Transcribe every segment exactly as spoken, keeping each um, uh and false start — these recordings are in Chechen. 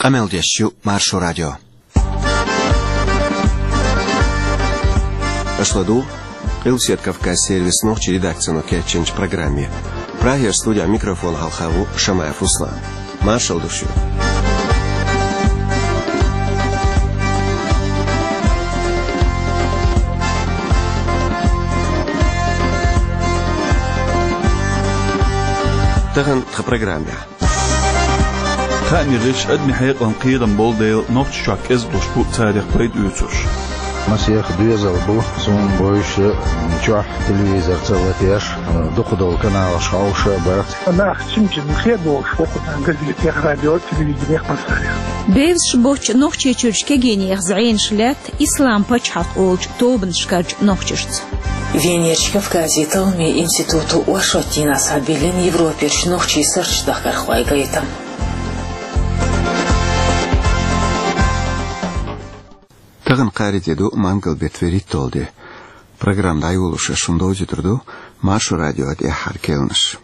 Къамел деш ю Маршо радио. Аша ладугӀу Къилбаседа Кавказан сервисан нохчийн редакцино кечйинчу программе. Прагера студин микрофона хьалха ву Шамаев Руслан. Маршалла ду шуьга. Тахана тхан программехь. Хаамийн гӀирсаша адамийн хьекъална кхерам болу дела, Нохчийчохь кӀезиг долуш бу царах пайда оьцурш. Масех доьзал бу, суна бовзуш, чохь телевизор ца латош, дукхах долу каналаш хьовсуш а бара. Нах чим-чим хедош вокху газетех, радио, телевиденех, массарех. Бевзаш боцчу Нохчийчуьрчу кегийнех зӀенаш лаьтта Ислам пачхьалкх олучу тобанашкарчу нохчашца. Венерчу Кавказан талламийн институто оршотдийнахь схьабиллина Европерчу нохчийн сурташ дахархойн гайтам. Тахана кхаарин де ду, мангал беттан вуьрхӀитталгӀа де. Программа дӀайолош шуна довзуьйтур ду Маршо радион тӀаьххьара керланаш.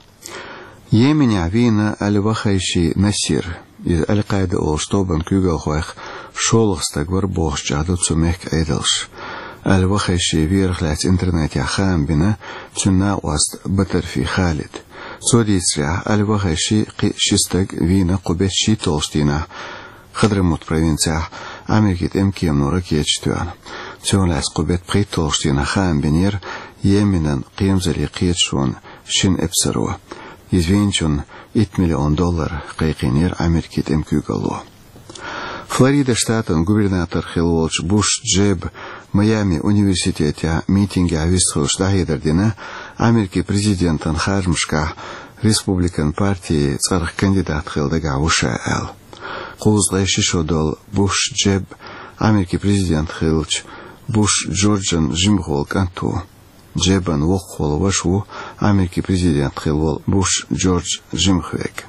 Йеменехь вийна Аль-Вахайши Насир. Иза Аль-Къаида олучу тобанан куьйгалхойх шолгӀа стаг вара бохучохь ду цу мехкан Ӏедалша. Аль-Вахайшин верах лаьцна интернетехь хаам бина цуьнан накъост Батарфи Халид. Цо дийцарехь, Аль-Вахайши кхин ши стаг вийна кху беттан шийтталгӀачу дийнахь Хадрамут провинцехь Америкин тӀеман кемано ракеташ тоьхна. Цунах лаьцна кху беттан пхийтталгӀачу дийнахь хаам бинера Йеменан кхерамзаллин кхеташонан шина эпсаро. Иза вийначунна итт миллион доллар кхайкхийнера Америкин тӀеман куьйгалло. Флорида штатан губернатор хилла волчу Буш Джеба Майами университетехь митингехь вистхуьлуш дӀахьедар дина, Америкин президентан харжамашкахь республикан партин цӀарах кандидат хила дагахь ву ша аьлла. Кхузткъе ши шо долу Буш Джеб Америкин президент хиллачу Буш Джорджан жимахволу кӀант ву. Джебан воккхах волу ваша ву Америкин президент хилла волу Буш Джордж жимахверг.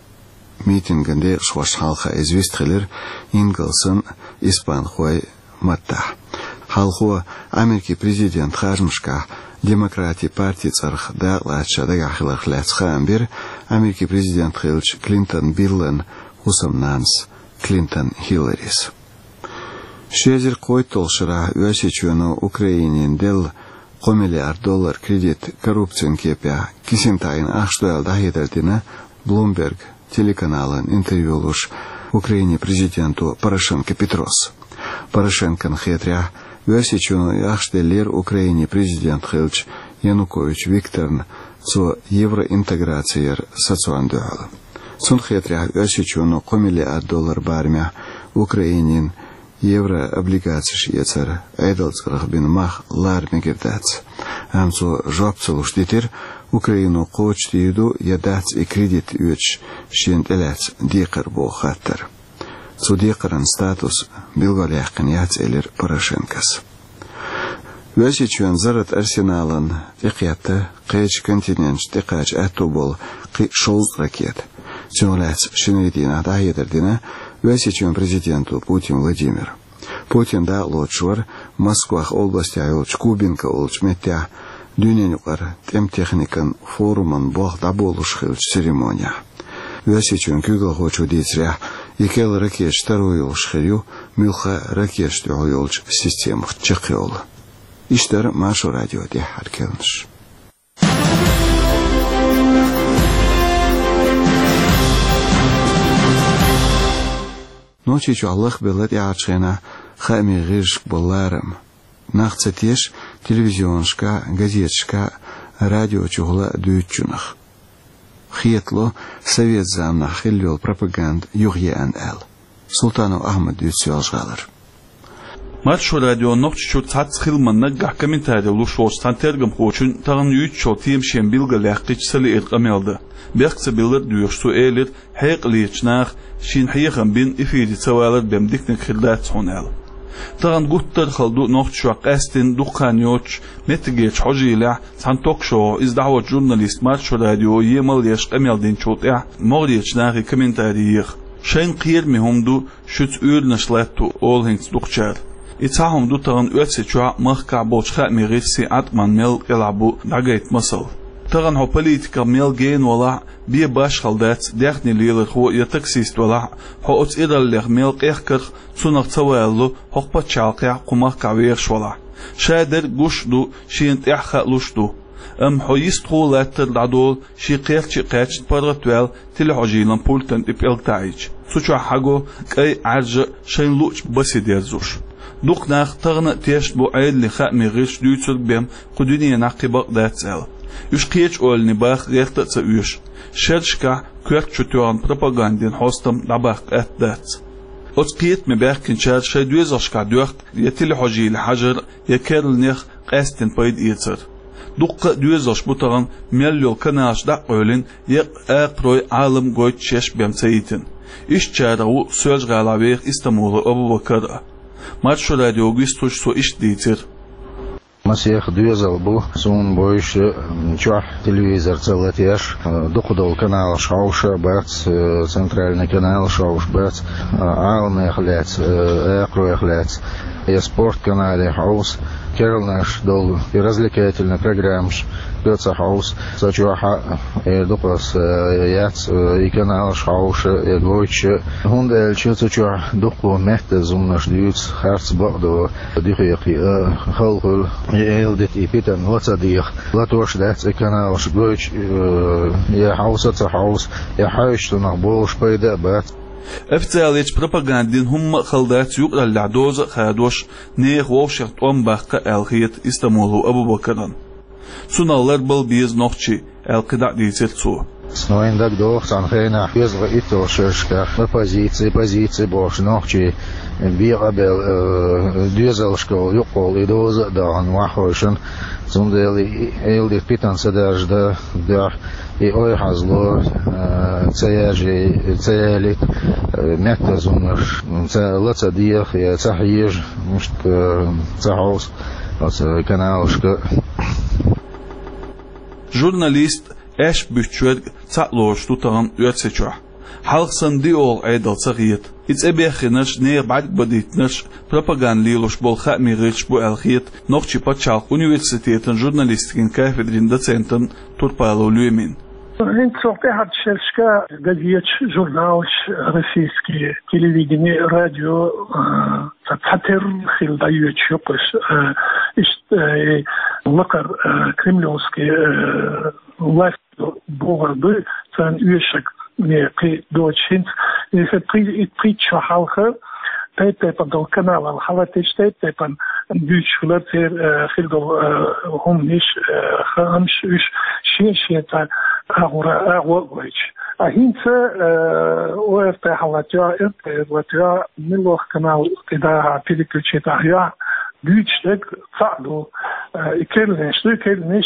Митинган декъашхошна хьалха иза вистхилира ингалсан, испанхойн маттахь. Хьалхо Америкин президент харжамашкахь Демократийн партин цӀарах дакъалаца ша дагахь хиларх лаьцна хаам бира Америкин президент хиллачу Клинтон Биллан хӀусамнанас Клинтон Хилларис. Ши эзар кхойтталгӀачу шарахь Оьрсийчоьно Украинина делла кхо миллиард доллар кредит коррупцин кепехь кисина таӀийна ахча ду аьлла дӀахьедар дина Bloomberg телеканална интервью луш Украинин президенто Порошенко Петрос. Порошенкона хетарехь, Оьрсийчоьно и ахча деллера Украинин президент хиллачу Янукович Викторна цо евроинтеграци яр сацорна дуьхьал. Цунна хетарехь, Оьрсийчоьно кхо миллиард доллар барамехь Украинина еврооблигацеш эцар Ӏедалан цӀарах бина мах лара мегар дац. Амма цо жоп ца луш дитира, Украино кхочушдийр ду я дац и кредит оьцуш шена тӀелаьцна декхар боху хаттар. Цу декхаран статус билгалъяьккхина яц, элира Порошенкос. Оьрсийчоьнан зарратан арсенална тӀекхетта кхечу континенташна тӀекхача аьтто болу кхин шовзткъа ракета. Цунах лаьцна шинарин дийнахь дӀахьедар дина Оьрсийчоьнан президенто Путин Владимира. Путин дакъалоцуш вара Москвахь областехь йолчу Кубинка олучу меттехь дуьненаюкъара тӀеман техникан форуман болх дӀаболуш хиллачу церемонехь. Оьрсийчоьнан куьйгалхочо дийцарехь, и керла ракеташ таро йолуш хир ю, муьлхха а ракеташна тӀехула йолчу системах чекхйолу. Иштта дара Маршо радион тӀаьххьара керланаш. Нохчийчохь лахбелла тӀаьхьарчу хенахь хаамийн гӀирсашка болу ларам. Нах ца теша телевизионашкахь, газеташкахь, радио чухула дуьйцучунах. Хетало, совет заманахь хилла йолу пропаганда юхаеана аьлла. Султанов Ахьмада дуьйцу Соьлжа-ГӀалара. Маршо радион Нохчийчуьра цхьацца хиламан наггахь комментари луш волчу цхьана тергамхочуьнга тахана юьйцучу темашна билгалъяьккхича ца лиира къамел дан. Бехк ца биллар а доьхуш, цо элира, хьекъалечу наха шена хьехам бина эфире ца валар бен диканиг хир дац хьуна аьлла. Тахана гуттар а хала ду Нохчийчохь къаьсттина дукха хан йоццуш меттигерчу хьожийлехь цхьана ток-шоу иза дӀахьочу журналиста Маршо радио емал еш къамел динчул тӀаьхьа могӀарерчу нахе комментари еха. Шайна кхераме хӀума ду шуьца уьйранаш латто олу хӀинца дукхачара. И цхьа хӀума ду тахана Оьрсийчохь а, махкахь а болчу хаамийн гӀирсийн Ӏаткъаман мел кӀелахь бу дӀагайта масал. Тахана хьо политиках мел гена валахь а, бен башхала дац, даьхни лелархо я таксист валахь а, хьо оцу ираллех мел къехкарх, цунах ца валало хӀокху пачхьалкхехь, кху махкахь вехаш валахь. Ша дерг гуш а ду, шена тӀаьхьа хаалуш а ду. Амма хьо йистхула латтар дӀадолу, шен кхерча а кхаьчна, паргӀатваьлла, телехьожийлан пультан тӀе пӀелг таӀийча. Цу чохь хьаго кӀай, Ӏаьржа а, шайна луъучу басе дерзош. Дукха нах тахана а тешна бу Ӏедалан хаамийн гӀирсаша дуьйцург бен кху дуьненахь кхин бакъ дац аьлла. Уьш кхечу ойланийн баха гӀерта а ца оьшу. Шерашкахь коьрта чу тоьхна пропагандин хьостам дӀабаккха атта дац. Оцу кхетаме баьхкинчара шайн доьзалшкахь доьхку я телехьожийла хьажар, я керланех къаьсттина пайда эцар. Дуккха а доьзалш бу тахана мел йолу каналаш дӀа а къевлина, еккъа акхарой, Ӏалам гойтуш еш бен ца йитина. Ишттачарах ву Соьлжа-ГӀалахь веха Истамулов Абубакар а. Маршо радиога вистхуьлуш цо иштта дийцира. Масех доьзал бу, суна бовзуш, чохь телевизор ца латош, дукха долу каналаш хьовша а бац, центральный каналаш хьовша бац, Ӏаламех лаьцна, акхаройх лаьцна, я спорт канале хьовса, керланаш долу, и развлекательный программаш га ца хьовса. Ца чохь а, э, дукха аса, э, яц, э, и каналаш хьовша, э, гойтуш а. ХӀунда аьлча цу чохь дуккха меттаза хӀуманаш дуьйцу, харц бакъдо, дуьхе кхиа, э, хала хуьлу, и эладита, и питана ла ца деха. Латош дац и каналаш гойтуш, э, я хьовса а ца хьовса, я хьаьвсича цунах болуш пайда а бац. Официалечу пропагандин хӀумма а хала дац, юкъараллехь доза а хадош, нехан вовшех тӀом баккха аьлла хета Истамулов Абубакарна. Цунах ларбала беза нохчий, аьлла кхидӀа а дийцира цо. Снойн дагадогӀу цхьана хенахь, доьзалгӀа итталгӀа шерашкахь оппозици, позици бохуш нохчий бен къабел, э, доьзалшкахула юккъехула и доза а дахана ваххойшна. Цундела и, и эладита питана ца даржа дан дуьхьа, и ойхьазло, э, ца яжий, ца ялийта, э, меттаза хӀуманаш ца, ла ца деха, я ца хьежа, мишта, э, ца хьовса оцу каналашка. Журналист, аьшпаш буьттуш верг цхьаъ лоруш ду тахана Оьрсийчохь. Хьалха санна диъолгӀа Ӏедал ца хета. И цӀе беххинарш, нехан бӀаьрг бадийтинарш пропаганда лелош болу хаамийн гӀирсаш бу аьлла хета Нохчийн пачхьалкхан университетан журналистикин кафедрин доцентан Турпалов Лоьмин. ХӀинца цо тӀаьхьарчу шерашка газеташ, журналаш, российский телевидение, радио, а, ца, цхьатерра хилла дӀайоьдуш ю-кх уьш, а, иштта, э, лакхара, э, кремлевский, э, власть бохург ду, царна оьшург, э, кхин доцуш хӀинца. Иза пхи-, и пхийтта шо хьалха тайп-тайпана долу каналал хьалатеш, тайп-тайпана дуьйцуш хилар церан, э, хир долу, э, хӀуманаш, э, хаамаш уьш шен-шен цхьа агӀора агӀо а гойтуш. А хӀинца, э, ОРТ хьалатоьхна, РТР латоьхна, муьлхха канал кхидӀа переключить ахь йохь, дуьйцуш дерг цхьаъ ду, э, и керланаш ду, и керланаш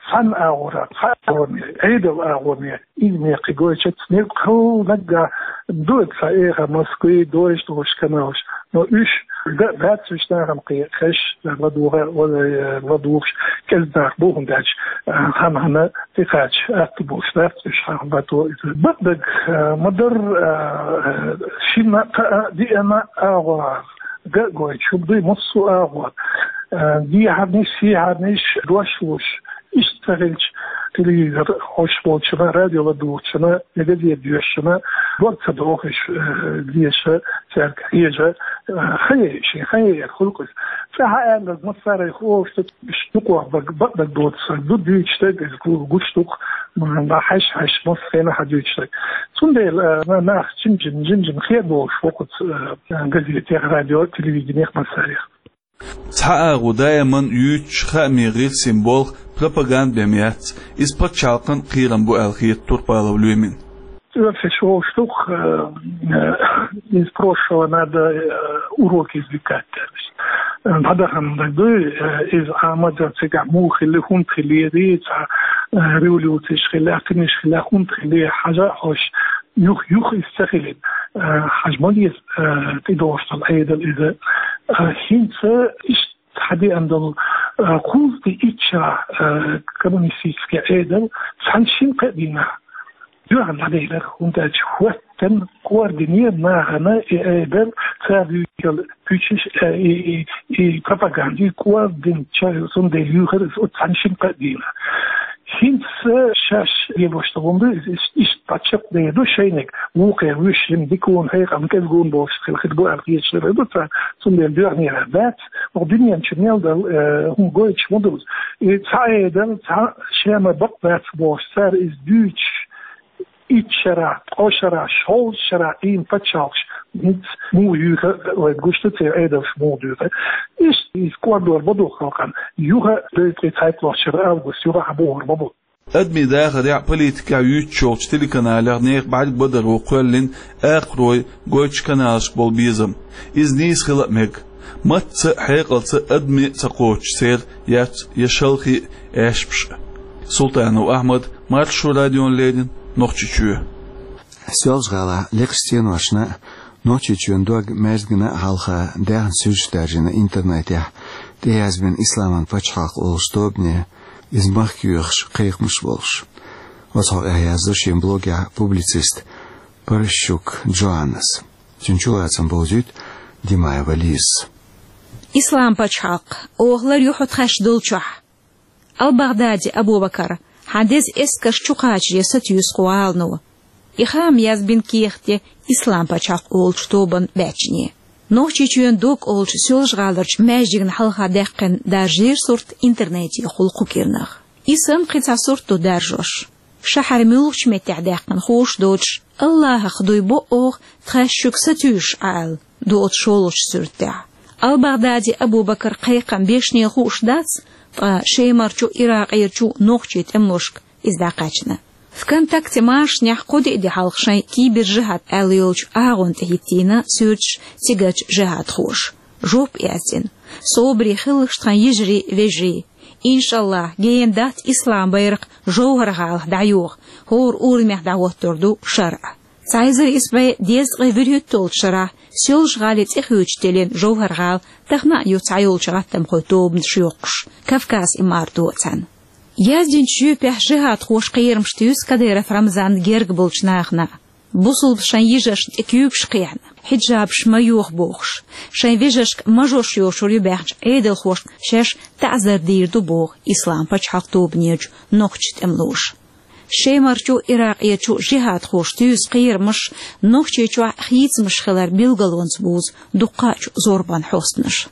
цхьана агӀора, цхьа агӀоне, Ӏедал агӀоне, иза мекхи гойтуш, мел кхалнаггахь ду цхьа эха Москве дойуш долуш каналаш. Но уьш га а дац, уьш нахана кхин хезаш, ладугӀа, ладугӀуш кӀезиг нах бу, хӀунда аьлча, а, хьан-хьанна тӀекхача атта болуш дац, уьш хьан бато иза. Бакъдерг, а, ма-дарра, а, шина а, кхаа а, диъана а агӀор га а гойтуш хӀума дуй, массо а агӀор. А, дехьарнаш, сехьарнаш дош луш, иштта ца хилча, телевизор хьоьжуш болчунна, радио ладугӀучунна, я газета доьшучунна дог ца дохуш, э, деша, цаьрга хьежа, э, хан яй шен, хан яйар хуьлу-кх иза. Цкъа хьан аьлларг массарайх олуш ду, уьш дукхох бага, бакъдерг доцург ду, дуьйцуш дерг иза гу-, гуш ду-кх, м, хьаьш-хьаьш, массо а хенахь хьан дуьйцуш дерг. Цундела, э, на-, нах жим-жим, жим-жим хер долуш ву-кх оцу, э, газетех, радио, телевиденех массарех. Цхьа агӀо даиман юьйцуш хаамийн гӀирсийн болх, пропаганда бен яц, иза пачхьалкхан кхерам бу аьлла хета Турпалов Лоьмин. Оьрсаша вовшах ду-кх, э, из прошлого надо, э, уроки извлекать аьлла. Э, дӀадахана дерг дуй, э, иза Ӏамадан цигахь муха хилли, хӀунда хиллера, цхьа, э, революцеш хилла, кхиниш хилла, хӀунда хиллера, хьажа а хьожуш, юха, юха иза ца хилийта, э, хьажа ма деза, э, тӀедогӀуш долу Ӏедал иза. Э, хӀинца иштта хьадеана долу, э, кхузткъе итт шарахь, э, коммунистический Ӏедал цхьана шина-кхаа дийнахь дуьхьал дӀаделира, хӀунда аьлча хӀоьттина кӀордийна нахана и Ӏедал, цара дуьйцуш йолу пуьчаш, э, и, и, и пропаганда, и кӀордийна ча-, цундела юьйхира иза оцу цхьана шина-кхаа дийнахь. ХӀинца шаьш лелош долу хӀума ду, иза иштта, иштта паччахь дайа ду шайниг, вукхе вуьш жима дикуна, хьекъална, кӀезгуна болуш хила хир бу аьлла хеташ хир ду цара, цундела доьхнера дац, оха дуьнен чу мел дала, э, хӀума гойтуш ма ду. И цхьа Ӏедал, цхьа Шема бакъ дац бохуш, цара иза дуьйцуш, итт шарахь, ткъа шарахь, шовзткъа шарахь Ӏийна пачхьалкхаш, хӀинца муха юьйхира, вайга гуш ду церан Ӏедалш муха дуьйхира. Иштта иза кӀордор ма ду халкъана, юха а, дойткъе цхьайтталгӀачу шарахь август юха а бухур ма бу. Адамийн дахарехь а, политикехь а юьйцуш йолчу телеканалех нехан бӀаьрг бадаро кхоьллина акхарой гойтучу каналашка болу безам. Иза нийса хила а мега. Матца а, хьекъалца а адаме а ца кхочуш церан яц я шалхе а аьшпаш а. Султанов Ахьмад, Маршо радиона леррина, Нохчийчоь. Соьлжа-ГӀалахь лекхачу стеношна а, Нохчийчоьнан дог-маьждигна а хьалха даьхна суьрташ даржийна интернетехь, тӀеязбина «Исламан пачхьалкх» олучу тобане, иза махка йоьхуш, кхайкхамаш болуш. Оцу хьокъехь яздо шен блогехь публицист Паращук Джоаннас. Цуьнан чулацам бовзуьйту Димаева Лизас. «Ислам пачхьалкх, оха лар ю хьо тхаьш долчохь». Ал-Багъдади Абу-Бакар, хьан деза эскарш чу кхачаре сатуьйсу кху гӀалано. И хаам язбина кехат де «Ислам пачхьалкх» олучу тобанан баьччане. Нохчийчоьнан дог олучу Соьлжа-ГӀаларчу маьждигна хьалха даьккхина даржийра сурт интернетехула кху кӀирнах. И санна кхин цхьа сурт ду даржош. Шахьар муьлхачу меттехь даьккхина хууш доцуш, «Аллахах дуй бо оха тхаьш шуьга сатуьйсуш Ӏа» аьлла, ду оцу шолгӀачу суьртехь. Ал-Багъдади Абу-Бакар кхайкхам бешнел хууш дац, ткъа Шемарчу, Иракъерчу нохчийн тӀемалошка иза дӀакхаьчна. ВКонтакте машанехь кхо-диъ де хьалха шайн «Кибер-жихӀад» аьлла йолчу агӀонна тӀе хӀиттийна суьрташ цигарчу жихӀадхоша. Жоп яздина: «Собаре хилалаш, тхан йижарий, вежарий. Иншаллахь, гена дац ислам байракх ЖовхӀар-гӀалахь дӀайоха, хӀора урамехь дӀахӀоттор ду шарӀ». Цхьа эзар исс бӀе дезткъе вуьрхӀитталгӀачу шарахь Соьлжа-ГӀалин цӀе хуьйцуш теллина ЖовхӀар-гӀала тахана а ю цхьайолчу гӀаттамхойн тобанаш йоккхуш, Кавказ-Имаратан цхьаьна. Яздинчу жоьпехь жихӀадхоша кхерамаш туьйсу Кадыров Рамзанна герга болчу нахана. Бусулба шайн йижаршна тӀе куьйгаш кхехьна, хьиджабаш ма йоха бохуш, шайн вежаршка мажош йошур ю баьхначу Ӏедалхошна шаьш таӀзар дийр ду боху «Ислам пачхьалкх» тобанерчу нохчийн тӀемалоша. Шемарчу, Иракъерчу жихӀадхоша туьйсу кхерамаш Нохчийчохь хийцамаш хилар билгалонца бузу дуккхачу зорбанан хьостанаша.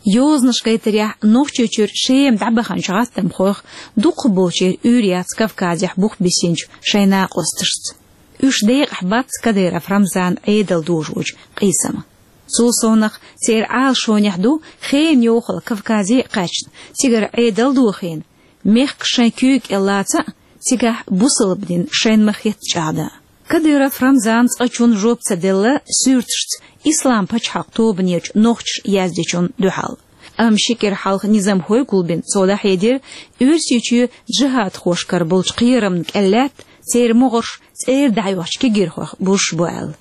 Йозанаш гайтарехь, Нохчийчуьра Шема дӀабаханчу гӀаттамхойх дукхахболчеран уьйр яц Кавказехь бух бисинчу шайн накъосташца. Уьш декъахь бац Кадыров Рамзанан Ӏедал дожочу къийсама. Цул совнаха, церан Ӏалашонехь ду хенан йохалла Кавказе а кхаьчна, цигара Ӏедал дохийна, мехкаш шайн куьйга кӀел лаца а, цигахь бусалба дин шайна ма-хетта чӀагӀдан. Кадыров Рамзана цкъачунна жоп ца делла суьрташца «Ислам пачхьалкх» тобанерчу нохчаша яздечунна дуьхьал. Амма ши кӀира хьалха низамхой гулбина цо дӀахьедира, Оьрсийчоь жихӀадхошкара болчу кхерамна кӀел лаьтта, церан могӀарш цӀера дӀахьоьхучу кегирхойх бузуш бу аьлла.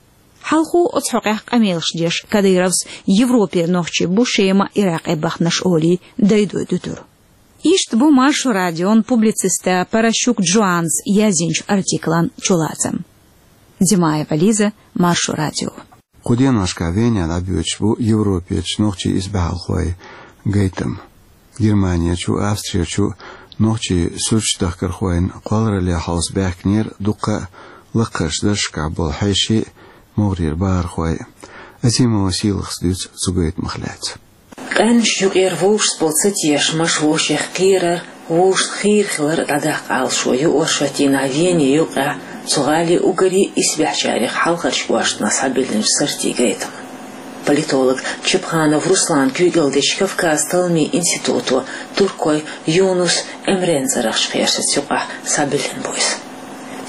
Хьалхо оцу хьокъехь къамелаш деш, Кадыровс Европера нохчий бу Шема, Иракъе баханарш олий, дайдой дуьтура. Иштта бу Маршо радион публициста Паращук Джоаннас яздинчу артиклан чулацам. Димаева Лиза, Маршо радио. Кху деношкахь Вене дӀабоьдуш бу Европерчу нохчийн исбаьхьалхойн гайтам. Германерчу, Австрерчу нохчийн суьрташ дахкархойн кхолларалле хьовса баьхкинера дуккха а лакхарчу даржашкахь болу хьеший а, могӀарера бахархой а. Азимова Сийлахас дуьйцу цу гайтамах лаьцна. Къаьмнаш юкъера вовшашца болу цатешамаш, вовшех кхерар, вовшашна хийра хилар дӀадаккха Ӏалашо ю оршотдийнахь Вене юкъахь, цу гӀалин уггаре исбаьхьачарех хьалхарчу кӀоштана схьабиллинчу сортийн гайтаман. Политолог Чепханов Руслана куьйгалла дечу Кавказан талламийн институто туркойн Юнус Эмрен цӀарахчу пхьерсаца юкъахь схьабиллина бу иза.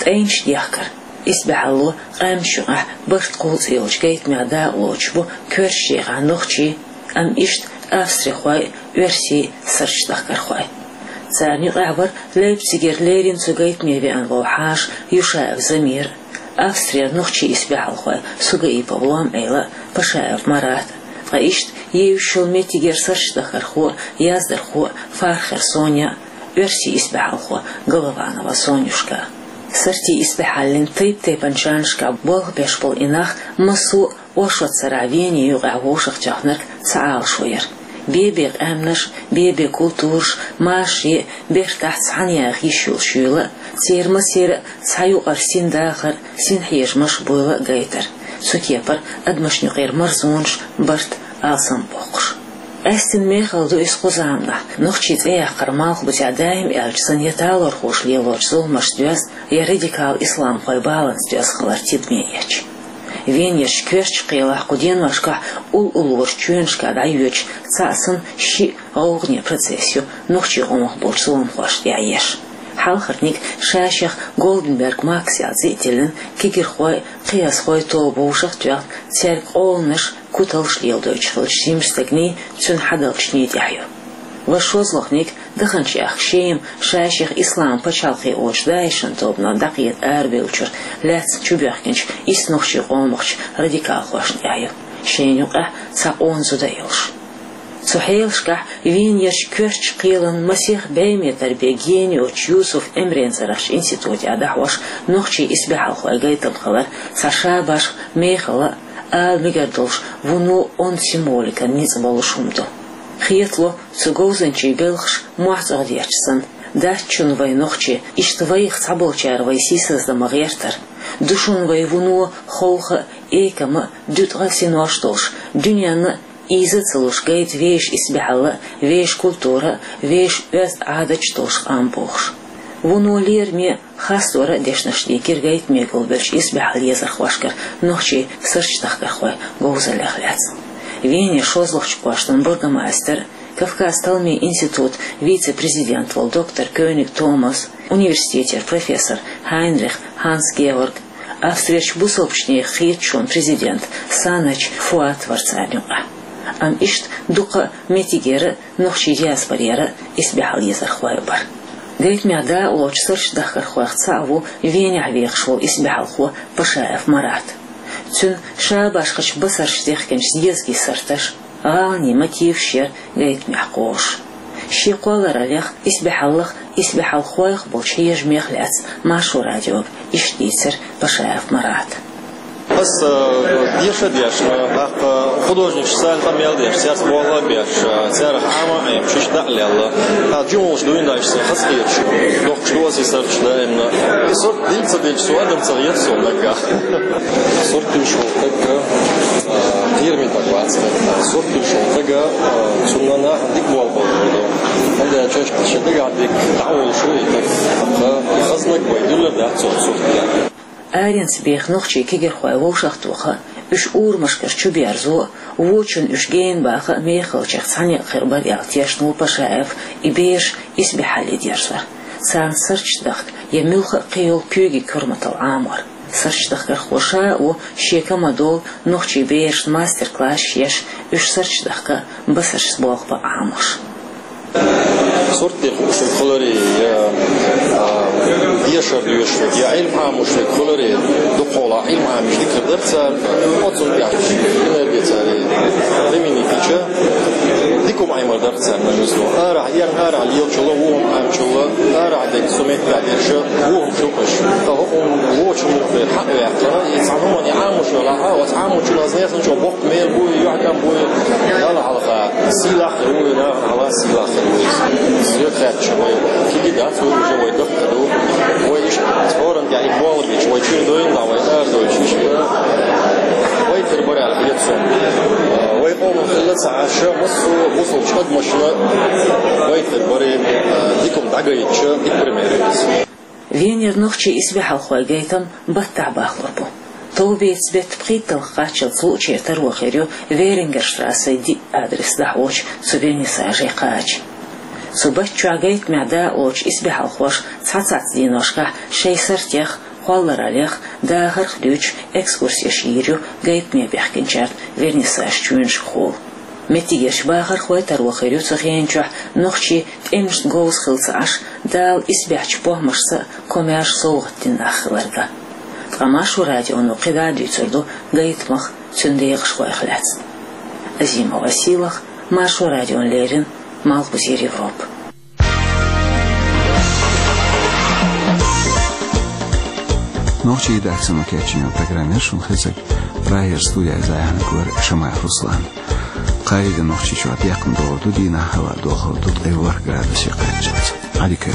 ТӀайнаш дехкар, исбаьхьалло, къаьмнаш юкъахь барт кхул цӀе йолчу гайтамех дакъалоцуш бу коьртачу декъехь нохчий, амма иштта австрихой а, оьрсий а, сорташ дахкархой. Царна юкъахь вара Лейпцигера леррина цу гайтаме веана волу хьаша Юшаев Замир, Австрера нохчийн исбаьхьалхой Сугаипов Лом-Ӏела а, Пашаев Марат а, ткъа иштта евзаш йолу меттигера сорташ дахкархо а, яздархо а Фархер Соня а, оьрсийн исбаьхьалхо Голованова Сонюшка. Сортийн исбаьхьаллин тайп-тайпанчу жанрашкахь болх беш болу и нах массо а оршот сарахь Вене юкъахь вовшахтоьхнарг цхьа Ӏалашо яра. Бе-бе къаьмнаш, бе-бе культураш, машаре, бертахь цхьаьна яха йиш йолуш йийла, церан массеран а цхьа юкъара син дахар, син хьежамаш буйла гайтар. Цу кепара адамашна юкъера марзонаш, барт, алсам боккхуш. Къаьсттина мехала ду иза кху заманахь, нохчийн цӀе яккхар малхбузехь даим аьлча санна я талорхоша лелочу зуламашца доьзна, я радикал исламхойн баланца доьзна хилар тидаме эцча. Венерчу коьртачу кхелахь кху деношкахь уллула волчу чоьнашкахь дӀайоьдучу цхьаъ санна шиъ гӀовгӀане процесс ю нохчийн къомах болчу зуламхошна тӀехь еш. Хьалхарниг ша-шех Голденберг Макс яьлла цӀе а тиллина, кегирхой, кхиазхой тоба вовшах а тоьхна, цаьрга къоланаш, куталш леладойтуш хиллачу жимачу стагний, цуьнан хьадалчний тӀехь ю. Ва шозлагӀниг, даханчу ахка Шема, ша-шех исламан пачхьалкх олучу ДАИШан тобанах дӀакхета арабевллачуьра лаьцна чубоьхкинчу исс нохчийн къомахчу радикалхошна тӀехь ю, шайна юкъахь цхьа къона зуда а йолуш. Цу хьелашкахь Венерчу коьртачу кхелан масех бӀе метр бен гена йоцучу Юсуф Эмрен цӀарахчу институтехь дӀахьош нохчийн исбаьхьалхойн гайтам хилар цхьа шабашха, мехала а, ала мегар долуш, вуно онда символикан ницкъ болуш хӀума ду. Хетало, цу говзанчийн белхаш мохь цӀогӀа детташ санна, дац шуна вайн нохчийн, иштта вайх цхьаболчара вай сийсаздан ма гӀертара. Ду шуна вай вуно ховха а, экама а, дуьтӀахь а синош долуш, дуьненна а ийза а ца луш гайта вешан исбаьхьалла а, вешан культура а, вешан оьзда Ӏадаташ а долуш къам бохуш. Вуно лераме а, хастор а дешнаш дийкира гайтаме гулбеллачу исбаьхьалла езархошкара нохчийн суртдахкархойн говзаллех лаьцна. Венера шозлагӀчу кӀоштан бургомайстер, Кавказ-Талмийн институтан вице-президент волу доктор Кёниг Томас, университетера профессор Хайнрих Ханс-Георг, Австрерчу бусалбачу нехан хеташонан президент Санач Фуат вара царна юкъахь. Амма иштта дукха а меттигера а, нохчийн диаспорера а исбаьхьалла езархой а бара. Гайтамехь дакъалоцучу суртдахкархойх цхьаъ ву Венехь вехаш волу исбаьхьалхо Пашаев Марат. Цуьнан шабашхачу басарша дехкинчу зезагийн сурташ, гӀаланийн мотиваш яра гайтамехь кхозуш. Шен кхоллараллех, исбаьхьаллах, исбаьхьалхойх болчу хьежамех лаьцна Маршо радиога иштта дийцира Пашаев Марата. Аса, э, деша а дешна, тӀаккха художник социальный къамел деш, цаьрца болх а беш, э, цаьрах Ӏама а Ӏемаш, иштта дӀа а лелла. ТӀаккха жималш дуьйна дайша сан хазахеташ, дохкуш ду аса и сурташ даимна. И сурт дилла ца дилча, со адам ца хета суна наггахь. Сурт дуьллуш волу стаг, э, кхераме стаг вац. Сурт дуьллуш волу стага, э, цунна нахана дика болх бан лур ду. ХӀунда аьлча шен дагахь дерг дӀа а волуш ву и стаг, тӀаккха хаза стаг вай дуьллур дац цунна сурт. Аренца беха нохчийн кегирхой вовшахтоха а, уьш урамашкара чуберзо а, вочунна уьш гена баха а мехалчех цхьаьнакхир бара аьлла тешна ву Пашаев и бераш исбаьхьалле дерзор, царна сурташ дахка я муьлхха а кхийолу куьйгийн корматалла Ӏамор. Суртдахкархо ша а ву шен командо нохчийн берашна мастер-классаш еш, уьш суртдахка а, басаршца болх бан Ӏамош. Сурт дехуш хиларе, я, а, дешар доьшург, я Ӏилма Ӏамош верг хиларе, дукхахьолахь Ӏилма Ӏамош дика дара цара, оццул тӀехь энергия цара применить дича, дика хӀума Ӏемар дара царна, мисал. Арахь, ерна арахь лелачул а, вон Ӏамачул а, арахь дерг цу меттехь дерш а, вон хӀума шу кхуьш. Ткъа хӀокхунна вочу муха дера хьа а ваьккхина, и цхьана хӀуманна Ӏамош велахь, оцу Ӏамочун аз несанчо боккха мел буй, юьхькӀам буй, Далла хьалха сийлахь хир ву, нахана хьалха сийлахь хир ву иза. Иза хаьттича вай кхин дац, вай уже вай дахка ду. Вай иштта хӀоранна тӀехь и болх бича, вай чуьра дойла, вай ара дойтуш иштта. Вай тера бара аьлла хета суна. Вай къоман хилла ца Ӏаш, массо а бусалбачу адамашна вай тера бара, дика хӀума дӀагайтича, дика пример ю иза. Венера нохчийн исбаьхьалхойн гайтам баттахь бахлур бу. Товбеца беттан пхийтталгӀа кхаччалц луъучеран таро хир ю Верингерштрассин диъ адрес дӀахьочу цу вернисаже кхача. Цу батта чохь гайтамехь дакъалоцучу исбаьхьалхоша цхьацца дийношкахь шайн суртех, кхоллараллех, дахарх дуьйцуш экскурсеш йийр ю гайтаме бехкинчарна вернисаж чоьнашкахула. Меттигерчу бахархой таро хир ю цу хенан чохь нохчий тӀемашна говза хилла ца Ӏаш, Дала исбаьхьчу похӀмашца а, комаьрша совгӀат дина нах хиларга. Ткъа Маршо радионо кхидӀа а дуьйцур ду гайтамах, цуьнан декъашхойх лаьцна. Азимова Сийлахь, Маршо радиона леррина, Малхбузера Европа. Нохчийн редакцино кечйина программа шуна хезира. Прагера студехь зӀамига вара Шамаев Руслан. Кхаарин а Нохчийчохь бехкам догӀур ду, дийнахь хӀаваъ дохур ду ткъе ворхӀ градусе кхаччалц. Ӏадика.